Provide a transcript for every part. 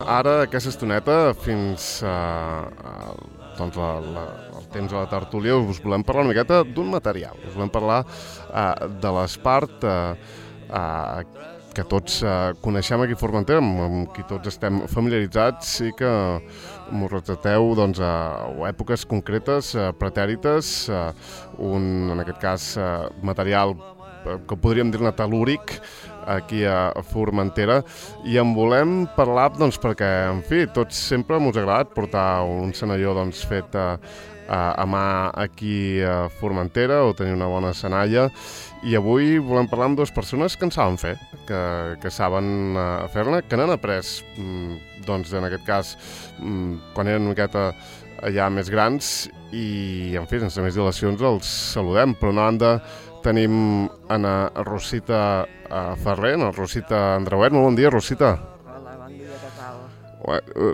ara, aquesta estoneta, fins doncs el temps de la tertúlia, us volem parlar una miqueta d'un material. Us volem parlar de l'Espart, que tots coneixem aquí a Formentera, amb qui tots estem familiaritzats i que m'ho retrateu doncs, a èpoques concretes, pretèrites, en aquest cas material que podríem dir-ne tel·lúric, aquí a Formentera, i en volem parlar doncs, perquè, en fi, tots sempre m'ho ha agradat portar un senalló doncs, fet a mà aquí a Formentera o tenir una bona senalla, i avui volem parlar amb dues persones que en saben fer, que saben fer-ne, que n'han après, doncs, en aquest cas, quan eren una miqueta ja més grans, i, en fi, sense més dilacions els saludem, però una banda tenim Ana Rosita Ferrer, Ana Rosita Andreuet. Molt bon dia, Rosita. Hola, bon dia, què tal?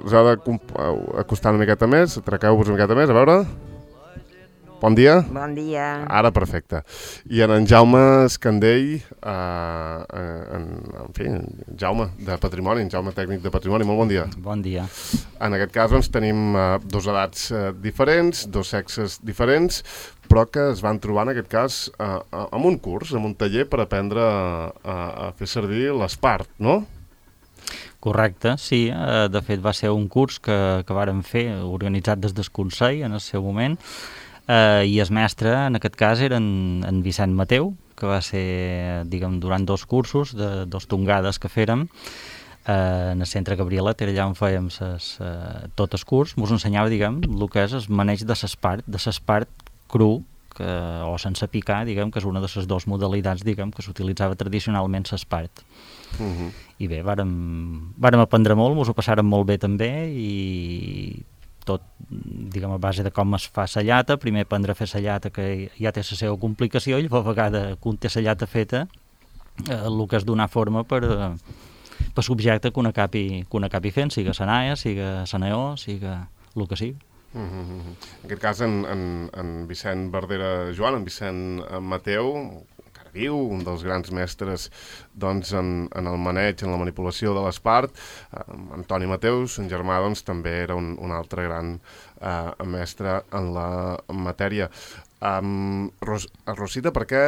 Us ha d'acostar una miqueta més, atraqueu-vos una miqueta més, a veure. Bon dia. Bon dia. Ara, perfecte. I en Jaume Escandell, en fi, Jaume de Patrimoni, en Jaume tècnic de Patrimoni, molt bon dia. Bon dia. En aquest cas doncs, tenim dos edats diferents, dos sexes diferents, però que es van trobar en aquest cas en un curs, en un taller per aprendre a fer servir l'Espart, no? Correcte, sí. De fet va ser un curs que vàrem fer, organitzat des del Consell en el seu moment, i el mestre en aquest cas era en Vicent Mateu, que va ser, diguem, durant dos cursos, de dos tongades que fèrem, en el centre Gabrielet, era allà on fèiem tot el curs, ens ensenyava, diguem, el que és el maneig de l'espart cru, o sense picar, diguem, que és una de les dues modalitats, diguem, que s'utilitzava tradicionalment l'espart. I bé, vàrem aprendre molt, ens ho passàrem molt bé també, i tot, diguem, a base de com es fa la llata, primer aprendre a fer la llata, que ja té la seva complicació, i a vegada, quan té la llata feta, el que és donar forma per l'objecte que una acabi fent, siga la naia, siga la neó, siga el que sigui. En aquest cas, en Vicent Verdera Joan, en Vicent Mateu, encara viu, un dels grans mestres doncs, en el maneig, en la manipulació de l'espart. Antoni Mateus, en germà, doncs, també era un altre gran mestre en la matèria. Rosita, per què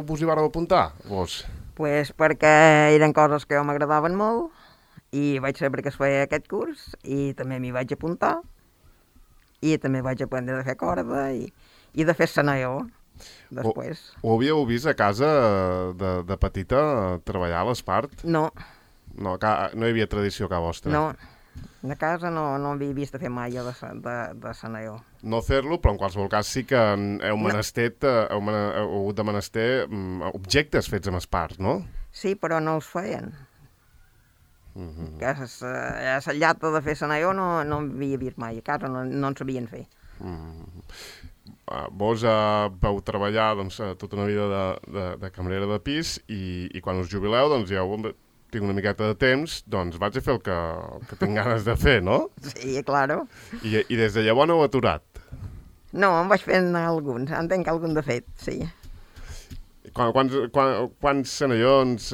vos hi vareu apuntar, vos? Pues perquè eren coses que m'agradaven molt i vaig saber que es feia aquest curs i també m'hi vaig apuntar i també vaig aprendre a fer corda i de fer senalló després. Ho havíeu vist a casa de petita treballar a l'espart? No. No hi havia tradició a casa vostra? No. De casa no havia vist fer mai de senalló. No fer-lo, però en qualsevol cas sí que heu hagut de menester objectes fets amb espart, no? Sí, però no els feien. Que la llata de fer senalló no havia vist mai, a casa no en sabien fer. Vos vau treballar doncs, tota una vida de cambrera de pis i quan us jubileu doncs ja tinc una miqueta de temps, doncs vaig a fer el que tinc ganes de fer, no? Sí, claro. I des de llavors no heu aturat? No, em vaig fent alguns, en tenc algun de fet, sí. Quants senallons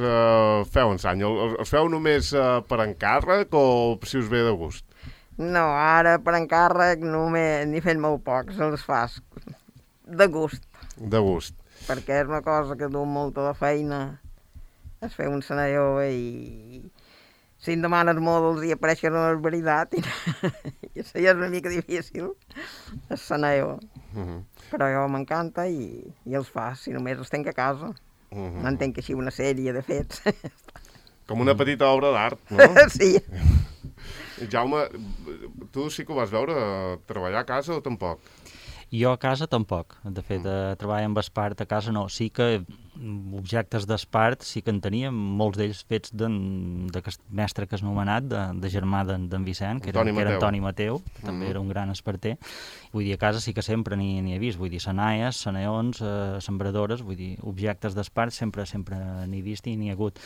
feu en any? Els feu només per encàrrec o si us ve de gust? No, ara per encàrrec n'hi fent molt pocs, els fas de gust. De gust. Perquè és una cosa que du molta de feina, es fer un senalló i si em demanes molt els hi apareixen una veritat i això ja és una mica difícil, el senalló. Però jo m'encanta i els fas, si només els tenc a casa. No en tenc així una sèrie de fets. Com una petita obra d'art, no? Sí. Jaume, tu sí que ho vas veure treballar a casa o tampoc? Jo a casa tampoc. De fet, treballar amb espart a casa no. Sí que objectes d'espart sí que en teníem, molts d'ells fets d'aquest mestre que has anomenat, de germà d'en Vicent, que era Antoni Mateu, que també era un gran esparter. Vull dir, a casa sí que sempre n'hi he vist. Vull dir, senaies, seneons, sembradores, vull dir, objectes d'espart sempre n'he vist i n'hi ha hagut.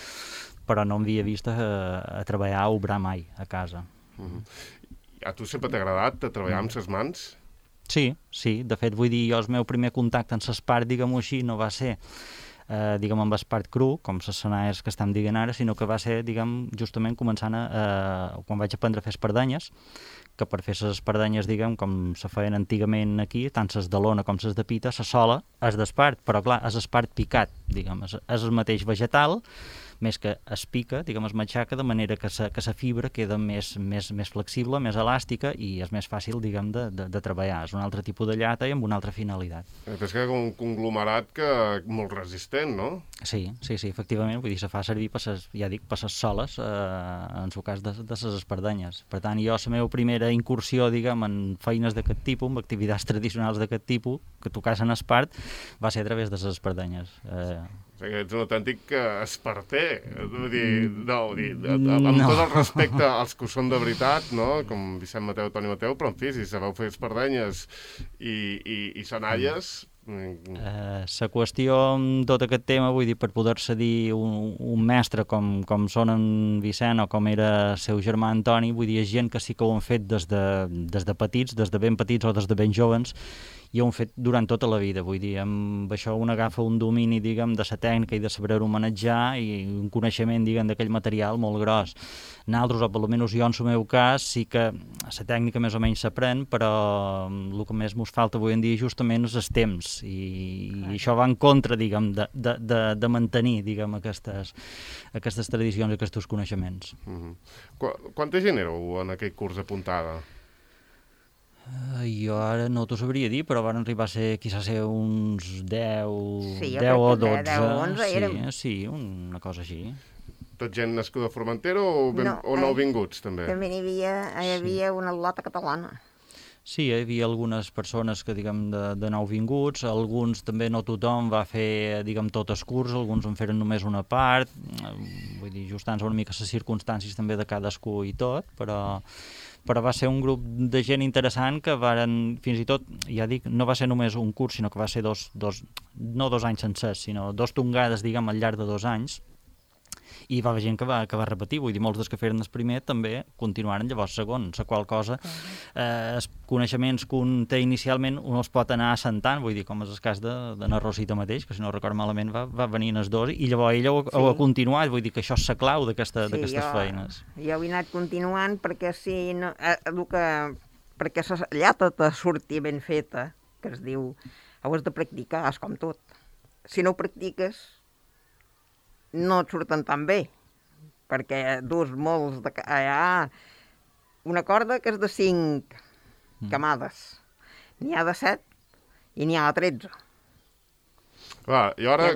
Però no m'havia vist a treballar, a obrar mai a casa. A tu sempre t'ha agradat treballar amb ses mans? Sí. De fet, vull dir, jo el meu primer contacte amb l'espart, digue-m'ho així, no va ser diguem, amb espart cru, com les senaies que estem dient ara, sinó que va ser, diguem, justament començant quan vaig aprendre a fer espardenyes, que per fer les espardenyes, diguem, com se feien antigament aquí, tant les de lona com les de pita, la sola és d'espart, però clar, és espart picat, diguem, és el mateix vegetal, més que es pica, diguem, es matxaca, de manera que la fibra queda més flexible, més elàstica i és més fàcil, diguem, de treballar. És un altre tipus de llata i amb una altra finalitat. És que un conglomerat que molt resistent, no? Sí, efectivament, vull dir, se fa servir per les soles, en el cas de les espardenyes. Per tant, jo, la meva primera incursió, diguem, en feines d'aquest tipus, en activitats tradicionals d'aquest tipus, que tocassen espart, va ser a través de les espardenyes. O sigui, ets un autèntic esparter, vull dir, amb tot el respecte als que ho són de veritat, no? Com Vicent Mateu, Toni Mateu, però en fi, si sabeu fer espardenyes i senalles... La qüestió amb tot aquest tema, vull dir, per poder-se dir un mestre com són en Vicent o com era el seu germà Antoni, vull dir, és gent que sí que ho han fet des de petits, des de ben petits o des de ben joves, i ho han fet durant tota la vida, vull dir, amb això un agafa un domini, diguem, de la tècnica i de saber-ho manejar i un coneixement, diguem, d'aquell material molt gros. Nosaltres, o almenys jo en el meu cas, sí que la tècnica més o menys s'aprèn, però el que més mos falta avui en dia justament és el temps, i això va en contra, diguem, de mantenir, diguem, aquestes tradicions i aquests coneixements. Quanta gent éreu en aquell curs apuntada? Jo ara no t'ho sabria dir, però van arribar a ser, quizás uns 10, sí, 10 o 12. 10 o 11 érem. Sí, una cosa així. Tot gent nascuda a Formentera o nouvinguts, també? També hi havia una lota catalana. Sí, hi havia algunes persones que, diguem, de nouvinguts, alguns també, no tothom va fer, diguem, tot el curs, alguns en feren només una part, vull dir, ajustant-se una mica les circumstàncies també de cadascú i tot, però va ser un grup de gent interessant que varen, fins i tot, ja dic, no va ser només un curs, sinó que va ser no 2 anys sencers, sinó 2 tongades, diguem, al llarg de 2 anys, i va haver gent que va repetir, vull dir, molts dels que feren el primer també continuaren llavors segon, la qual cosa els coneixements que un té inicialment un els pot anar assentant, vull dir, com és el cas de na Rosita mateix, que si no record malament va venir en els dos, i llavors ella ho ha continuat, vull dir que això és la clau d'aquestes feines. Jo he anat continuant perquè si no, perquè la llata te surti ben feta, que es diu, ho has de practicar, és com tot. Si no ho practiques, no et surten tan bé, perquè dus molts hi ha una corda que és de 5 camades, n'hi ha de 7 i n'hi ha de 13. Clar, i ara,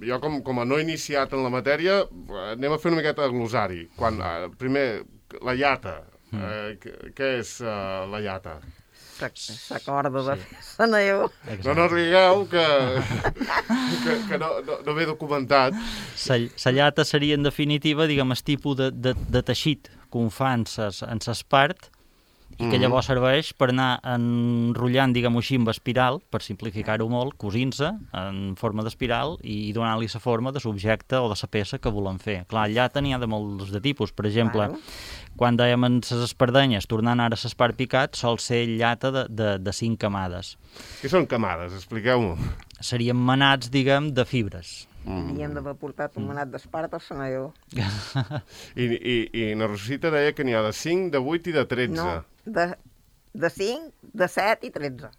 jo com a no iniciat en la matèria, anem a fer una miqueta de glosari. Primer, la llata. Què és la llata? La corda de Sanaió. No rigueu, que no m'he documentat. La llata seria, en definitiva, diguem, el tipus de teixit que un fa en l'espart i que llavors serveix per anar enrotllant, diguem-ho així, amb espiral, per simplificar-ho molt, cosint-se en forma d'espiral i donant-li la forma de l'objecte o de la peça que volen fer. Clar, llata n'hi ha de molts de tipus. Per exemple, quan dèiem en les espardenyes, tornant ara a l'espart picat, sol ser llata de 5 camades. Què són camades? Expliqueu-m'ho. Serien manats, diguem, de fibres. Havíem d'haver portat un manat d'espart al Sanaió. I na Rosita deia que n'hi ha de 5, de 8 i de 13. No, de 5, de 7 i 13.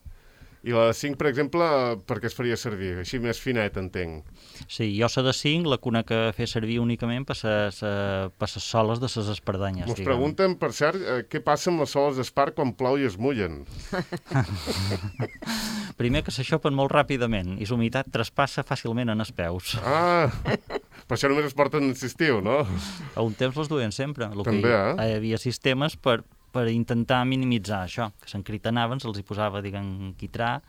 I la de 5, per exemple, per què es faria servir? Així més finet, entenc. Sí, jo la de 5 la conec a fer servir únicament per les soles de les espardenyes. Mos pregunten, per cert, què passa amb les soles d'espart quan plou i es mullen? Primer que s'aixopen molt ràpidament i la humitat traspassa fàcilment en els peus. Per això només es porten en l'estiu, no? A un temps les duien sempre. També, hi havia sistemes per intentar minimitzar això, que s'encritenaven, se'ls hi posava, diguem, quitrà,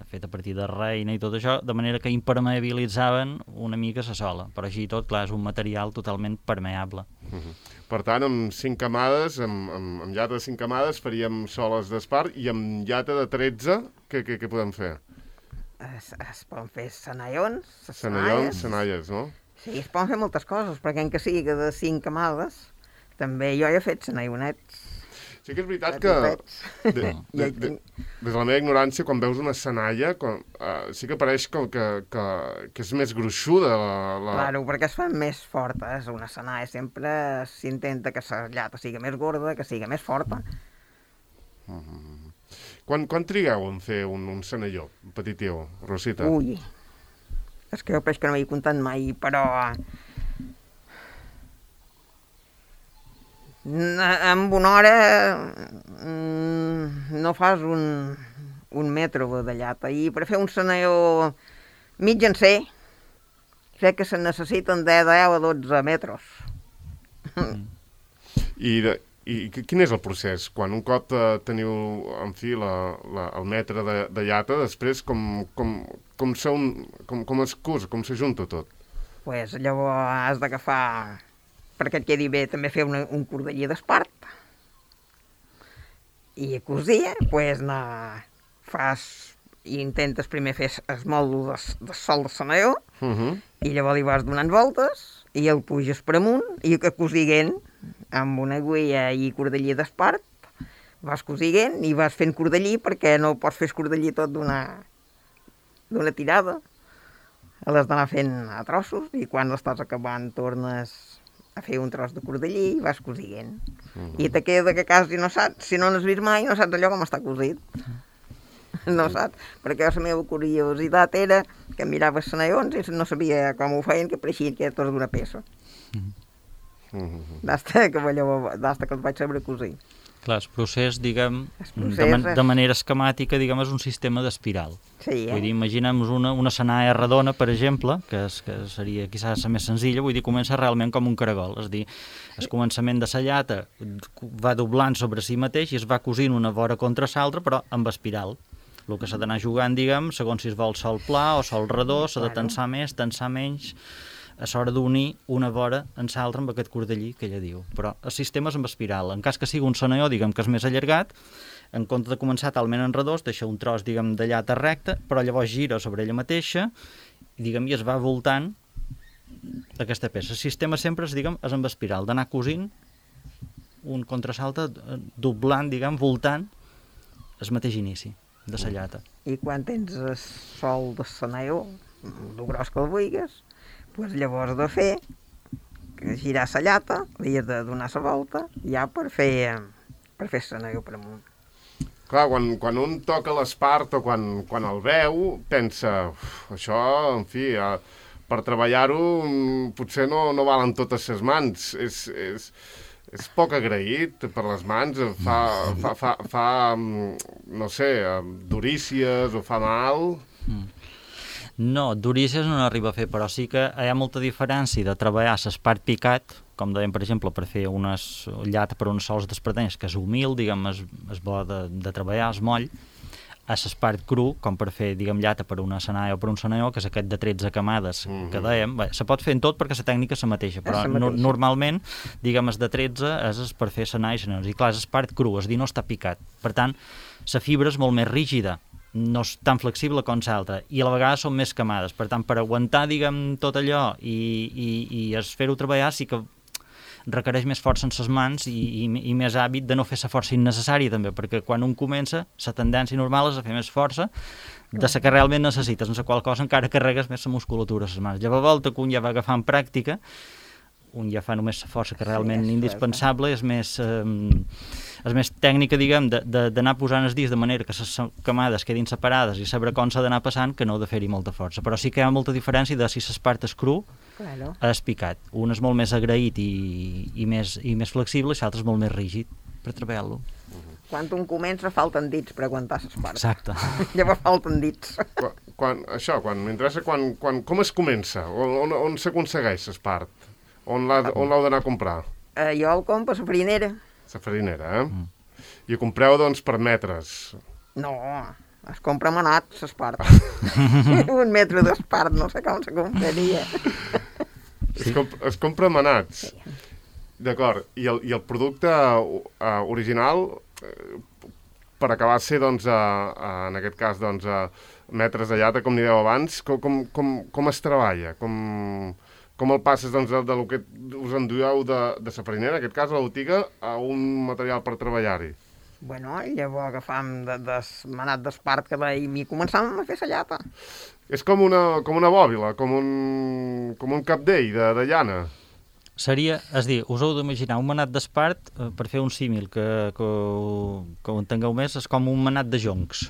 fet a partir de reina i tot això, de manera que impermeabilitzaven una mica la sola. Però així tot, clar, és un material totalment permeable. Per tant, amb 5 camades, amb llata de 5 camades, faríem soles d'espart, i amb llata de 13, què podem fer? Es poden fer senallons, senalles, no? Sí, es poden fer moltes coses, perquè en que sigui de 5 camades, també jo he fet senallonets. Sí que és veritat que des de la meva ignorància, quan veus una senalla, sí que pareix que és més gruixuda. Claro, perquè es fan més fortes. Una senalla sempre s'intenta que la llata sigui més gorda, que sigui més forta. Quan trigueu en fer un senalló petitiu, Rosita? Ui, és que jo penso que no m'he comptat mai, però... En una hora no fas un metro de llata, i per fer un senalló mitjancer crec que se necessiten de 10 a 12 metres. I quin és el procés? Quan un cop teniu, en fi, el metre de llata, després com es cus, com s'ajunta tot? Pues llavors has d'agafar, perquè et quedi bé, també fer un cordeller d'espart. I a cosir, pues, intentes primer fer el moldo de sol de senalló, i llavors li vas donant voltes, i el puges per amunt, i que cosiguent amb una agulla i cordeller d'espart, vas cosiguent i vas fent cordeller, perquè no pots fer cordeller tot d'una tirada. L'has d'anar fent a trossos, i quan l'estàs acabant tornes a fer un tros de cordeller i vas cosiguent. I te queda que quasi no saps, si no n'has vist mai, no saps allò com està cosit. No saps? Perquè la meva curiositat era que mirava els senallons i no sabia com ho feien, que pareixien que era tot d'una peça. D'hasta que els vaig saber cosir. Clar, el procés, diguem, de manera esquemàtica, diguem, és un sistema d'espiral. Sí, Vull dir, imaginem una senalla redona, per exemple, que seria quizás la més senzilla, vull dir, comença realment com un caragol, és a dir, el començament de la llata va doblant sobre si mateix i es va cosint una vora contra l'altra, però amb espiral. El que s'ha d'anar jugant, diguem, segons si es vol sol pla o sol redó, s'ha de tensar més, tensar menys, a l'hora d'unir una vora en l'altra amb aquest cordellí que ella diu. Però el sistema és amb espiral. En cas que sigui un senalló, diguem, que és més allargat, en compte de començar talment en redós, deixa un tros, diguem, de llata recta, però llavors gira sobre ella mateixa i, diguem, i es va voltant aquesta peça. El sistema sempre és, diguem, és amb espiral, d'anar cosint un contra l'altre, doblant, diguem, voltant el mateix inici de la llata. I quan tens el sol de senalló, el gros que el vulguis, pues llavors de fer, girar la llata, li has de donar la volta, ja per fer senalló per amunt. Clar, quan un toca l'espart o quan el veu, pensa, això, en fi, per treballar-ho potser no valen totes les mans. És poc agraït per les mans, fa no sé, durícies o fa mal. No, durícies no n'arriba a fer, però sí que hi ha molta diferència de treballar l'espart picat, com dèiem, per exemple, per fer una llata per uns sols d'espardenyes, que és humil, diguem, és bo de treballar, és moll, a l'espart cru, com per fer, diguem, llata per una senalla o per un senalló, que és aquest de 13 camades que dèiem. Bé, se pot fer en tot perquè la tècnica és la mateixa, però normalment, diguem, el de 13 és per fer senalla i senallons. I clar, és espart cru, és a dir, no està picat. Per tant, la fibra és molt més rígida, no és tan flexible com l'altra, i a la vegada són més camades. Per tant, per aguantar, diguem, tot allò i fer-ho treballar sí que requereix més força en les mans i més hàbit de no fer la força innecessària també, perquè quan un comença, la tendència normal és a fer més força de la que realment necessites, en la qual cosa encara carregues més la musculatura a les mans. Llavors, a volta que un ja va agafant pràctica, un ja fa només la força que realment indispensable, és més tècnica, diguem, d'anar posant els dits de manera que les camades quedin separades i saber com s'ha d'anar passant, que no de fer-hi molta força. Però sí que hi ha molta diferència de si l'espart és cru és picat. Un és molt més agraït i més flexible i l'altre és molt més rígid per treballar-lo. Quan un comença falten dits per aguantar l'espart. Exacte. Llavors falten dits. M'interessa com es comença, on s'aconsegueix l'espart? On l'heu d'anar a comprar? Jo el compro a la farinera. La farinera, I ho compreu, doncs, per metres? No, es compra manat, l'espart. Un metre d'espart, no sé com se compraria. Es compra manats? Sí. D'acord. I el producte original, per acabar de ser, doncs, en aquest cas, doncs, metres de llata, com n'hi deu abans, com es treballa? Com el passes doncs, del que us endueu de la farinera, en aquest cas, a la botiga, a un material per treballar-hi? Bueno, llavors agafam des manat d'espart que veiem i començàvem a fer la llata. És com una bòbila, com un capdell de llana. Seria, és dir, us heu d'imaginar un manat d'espart, per fer un símil que ho entengueu més, és com un manat de joncs.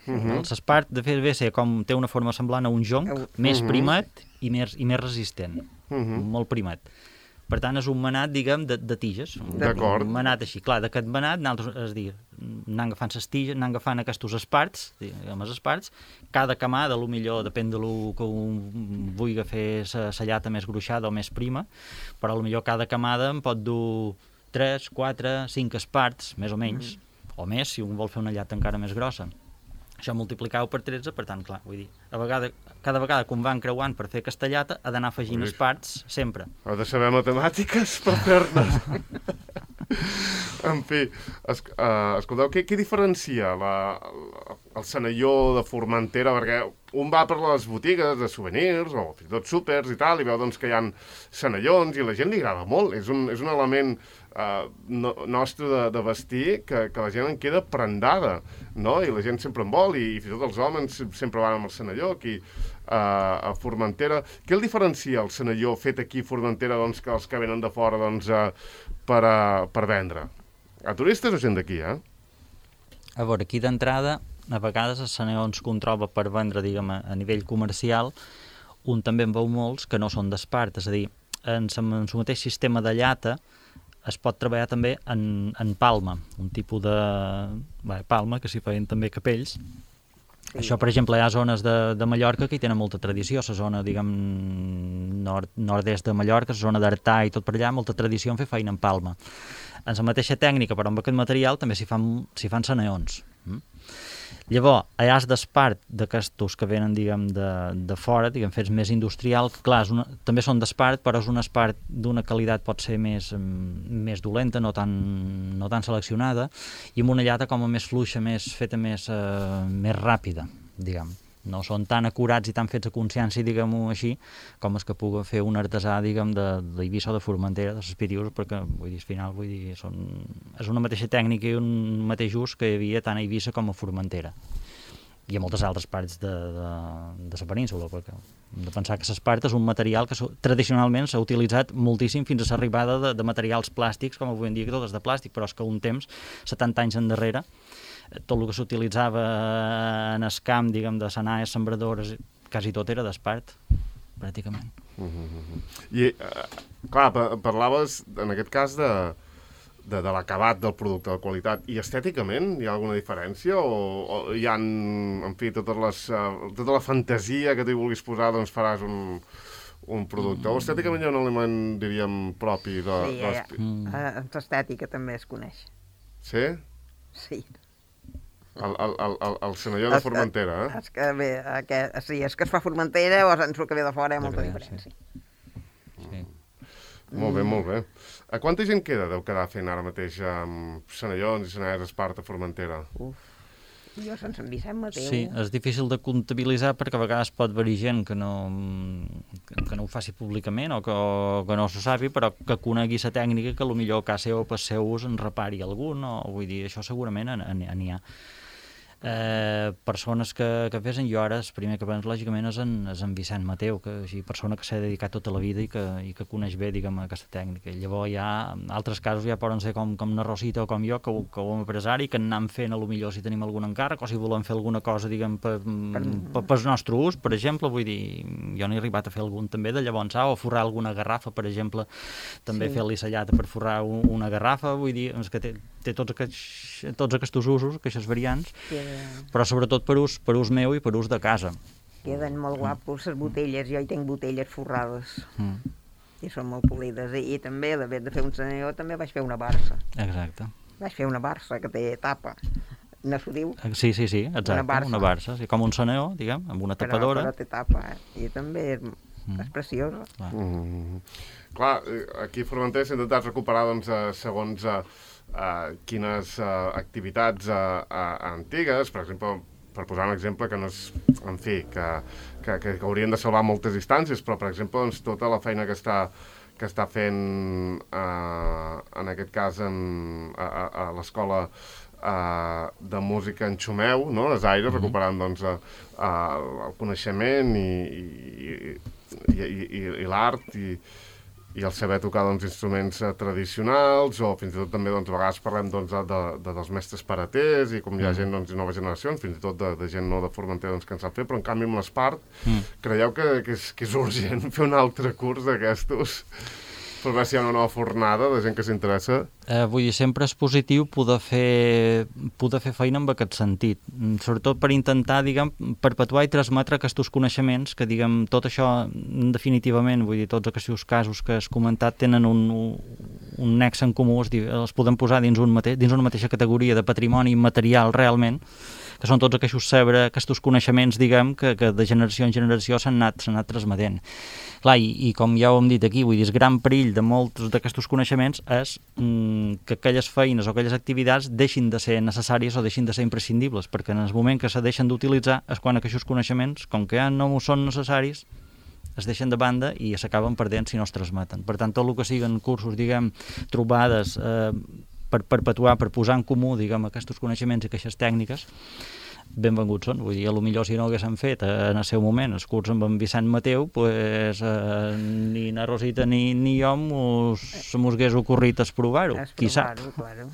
L'espart, de fet, té una forma semblant a un jonc, més primat i més resistent, molt primat. Per tant, és un manat, diguem, de tiges. D'acord. Un manat així. Clar, d'aquest manat, és dir, anant agafant les tiges, anant agafant aquests esparts, diguem, els esparts, cada camada, millor depèn de lo que un vulgui fer la llata més gruixada o més prima, però millor cada camada en pot dur 3, 4, 5 esparts, més o menys, o més, si un vol fer una llata encara més grossa. Això multiplicau per 13, per tant, clar, vull dir, cada vegada que un va encreuant per fer aquesta llata, ha d'anar afegint esparts sempre. Ha de saber matemàtiques per fer-ne. En fi, escolteu, què diferencia el Senalló de Formentera? Perquè un va per les botigues de souvenirs o fins i tot súpers i tal, i veu doncs, que hi ha senallons i a la gent li agrada molt. És un element nostre de vestir que la gent en queda prendada, no? I la gent sempre en vol, i fins i tot els homes sempre van amb el senalló aquí a Formentera. Què el diferencia el senalló fet aquí a Formentera doncs, que els que venen de fora doncs, per vendre? A turistes o gent d'aquí, A veure, aquí d'entrada, a vegades el senalló que un troba per vendre, diguem, a nivell comercial, un també en veu molts que no són d'espart, és a dir, en el mateix sistema de llata es pot treballar també en palma, un tipus de palma que s'hi feien també capells. Sí. Això, per exemple, hi ha zones de Mallorca que hi tenen molta tradició, la zona, diguem, nord-est de Mallorca, la zona d'Artà i tot per allà, molta tradició en fer feina en palma. En la mateixa tècnica, però amb aquest material, també s'hi fan senallons. Llavors, hi ha d'espart d'aquestos que venen, diguem, de fora, diguem, fets més industrial, que clar, també són d'espart, però és un espart d'una qualitat pot ser més dolenta, no tan seleccionada, i amb una llata com a més fluixa, feta més ràpida, diguem. No són tan acurats i tan fets a consciència, diguem-ho així, com els que pugui fer un artesà, diguem, d'Eivissa o de Formentera, de les Pirius, perquè, al final, és una mateixa tècnica i un mateix ús que hi havia tant a Eivissa com a Formentera. I a moltes altres parts de la península, perquè hem de pensar que l'espart és un material que tradicionalment s'ha utilitzat moltíssim fins a l'arribada de materials plàstics, com avui en dia que tot és de plàstic, però és que un temps, 70 anys endarrere, tot el que s'utilitzava en el camp, diguem, de senaes, sembradores, quasi tot era d'espart, pràcticament. I, clar, parlaves, en aquest cas, de l'acabat del producte, de qualitat, i estèticament hi ha alguna diferència? O hi ha, en fi, tota la fantasia que t'hi vulguis posar, doncs faràs un producte? O estèticament hi ha un element, diríem, propi de... Sí, l'estètica també es coneix. Sí? Sí. El senalló de Formentera, És que es fa a Formentera o el que ve de fora hi ha molta diferència. Sí. Molt bé, molt bé. A quanta gent deu quedar fent ara mateix senallons i senallers d'espart a Formentera? Jo sense en Vicent Mateu. Sí, és difícil de comptabilitzar perquè a vegades pot haver gent que no ho faci públicament o que no s'ho sapi, però que conegui la tècnica que potser a casa o per seu ús en repari algun, o vull dir, això segurament n'hi ha. Persones que fesen, jo ara el primer que penso lògicament és en Vicent Mateu, que és persona que s'ha dedicat tota la vida i que coneix bé, diguem, aquesta tècnica. Llavors hi ha altres casos, ja poden ser com na Rosita o com jo, que ho hem empresari, que anem fent a lo millor si tenim algun encàrrec o si volem fer alguna cosa, diguem, per nostre ús, per exemple, vull dir, jo n'he arribat a fer algun també de llavors, o forrar alguna garrafa, per exemple, també fer-li la llata per forrar una garrafa, vull dir, que té tots aquests usos, aquestes variants, però sobretot per ús meu i per ús de casa. Queden molt guapos les botelles, jo hi tinc botelles forrades i són molt polides, i també de fer un senalló també vaig fer una barça. Exacte. Vaig fer una barça que té tapa, no s'ho diu? Sí, exacte, una barça, com un senalló, diguem, amb una tapadora. Però té tapa, i també és preciosa. Clar, aquí a Formentera s'ha intentat recuperar, doncs, segons quines activitats antigues, per exemple, per posar un exemple que no és, en fi, que haurien de salvar moltes distàncies, però, per exemple, doncs, tota la feina que està fent, en aquest cas, a l'escola de música en Xumeu, no? Les Aires, recuperant doncs, el coneixement i l'art i el saber tocar doncs, instruments tradicionals, o fins i tot també doncs, a vegades parlem doncs, dels mestres paraters i com hi ha gent doncs, de noves generacions, fins i tot de gent no de Formentera doncs, que en sap fer, però en canvi amb l'Espart creieu que és urgent fer un altre curs d'aquestos per veure si hi ha una nova fornada de gent que s'interessa? Vull dir, sempre és positiu poder fer feina en aquest sentit, sobretot per intentar, diguem, perpetuar i transmetre aquests coneixements que, diguem, tot això, definitivament, vull dir, tots aquests casos que has comentat tenen un nexe en comú, els podem posar dins una mateixa categoria de patrimoni material realment, que són tots aquests coneixements, diguem, que de generació en generació s'han anat transmetent. Clar, i com ja ho hem dit aquí, vull dir, el gran perill de molts d'aquests coneixements és que aquelles feines o aquelles activitats deixin de ser necessàries o deixin de ser imprescindibles, perquè en el moment que se deixen d'utilitzar és quan aquests coneixements, com que ja no són necessaris, es deixen de banda i s'acaben perdent si no es transmeten. Per tant, tot el que siguen cursos, diguem, trobades per perpetuar, per posar en comú, diguem, aquests coneixements i aquestes tècniques, benvinguts són. Vull dir, potser si no haguéssim fet en el seu moment el curs amb en Vicent Mateu, pues, ni na Rosita ni jo mos hagués ocorrit provar-ho, qui sap. Claro.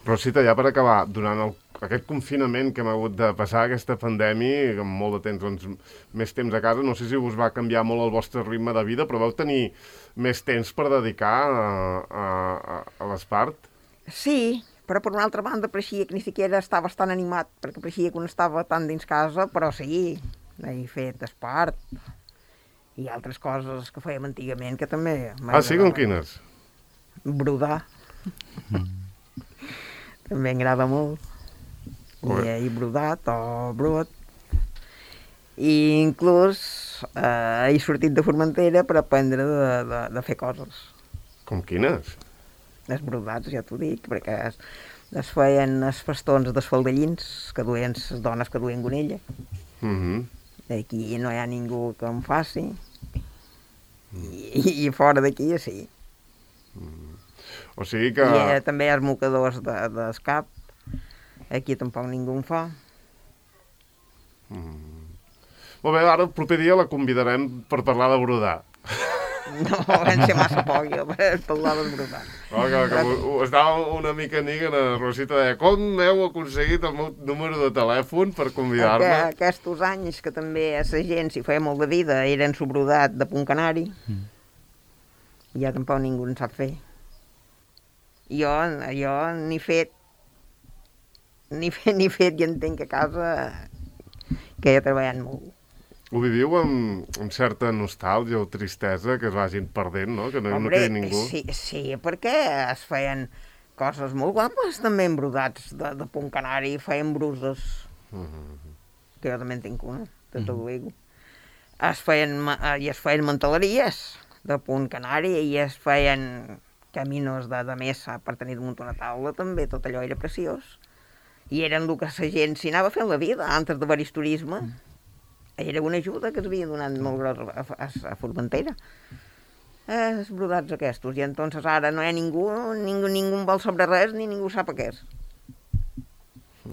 Rosita, ja per acabar, durant aquest confinament que hem hagut de passar, aquesta pandèmia, amb molt de temps, doncs, més temps a casa, no sé si us va canviar molt el vostre ritme de vida, però vau tenir més temps per dedicar a l'Espart? Sí, però per una altra banda pareixia que ni siquiera estava tan animat, perquè pareixia que no estava tan dins casa, però sí, he fet espart i altres coses que fèiem antigament que també m'agradaven. Ah, sí? Com quines? Brodar. També m'agrada molt. I he brodat o brot. I inclús he sortit de Formentera per aprendre de fer coses. Com quines? Els brodats, ja t'ho dic, perquè es feien els festons dels faldellins que duien les dones que duien gonella. Aquí no hi ha ningú que em faci. I fora d'aquí sí. O sigui que... I també els mocadors d'escap. Aquí tampoc ningú en fa. Molt bé, ara el proper dia la convidarem per parlar de brodar. No, vam ser massa poc jo per parlar del brodar. Estava una mica niguen a Rosita, deia, com heu aconseguit el meu número de telèfon per convidar-me? Aquests anys que també a la gent s'hi feia molt de vida eren su brodat de punt canari, ja tampoc ningú en sap fer. Jo ni fet i entenc que a casa que he treballat molt. Ho viviu amb certa nostàlgia o tristesa que es vagin perdent, no? Que no quedi ningú. Sí, perquè es feien coses molt guapes també embrodats de punt canari, feien bruses, que jo també en tinc una, tot ho dic. Es feien manteleries de punt canari i es feien caminos de mesa per tenir damunt una taula també, tot allò era preciós. I eren el que la gent s'hi anava fent la vida, antes d'haver-hi turisme. Era una ajuda que es havia donat molt grossa a Formentera. Els brodats aquests. I entonces ara no hi ha ningú vol sobre res ni ningú sap què és.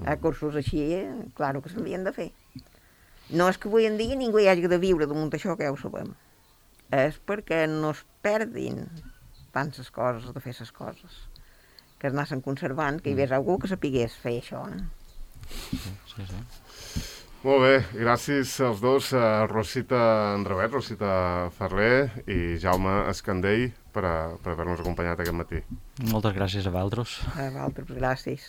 A cursos així, claro que s'havien de fer. No és que avui en dia ningú hi hagi de viure damunt això, que ja ho sabem. És perquè no es perdin tant les coses, de fer les coses. Que es anaven conservant, que hi hagués algú que sapigués fer això. Sí. Molt bé, gràcies als dos, Rosita Andreuet, Rosita Ferrer i Jaume Escandell per haver-nos acompanyat aquest matí. Moltes gràcies a vosaltres. A vosaltres, gràcies.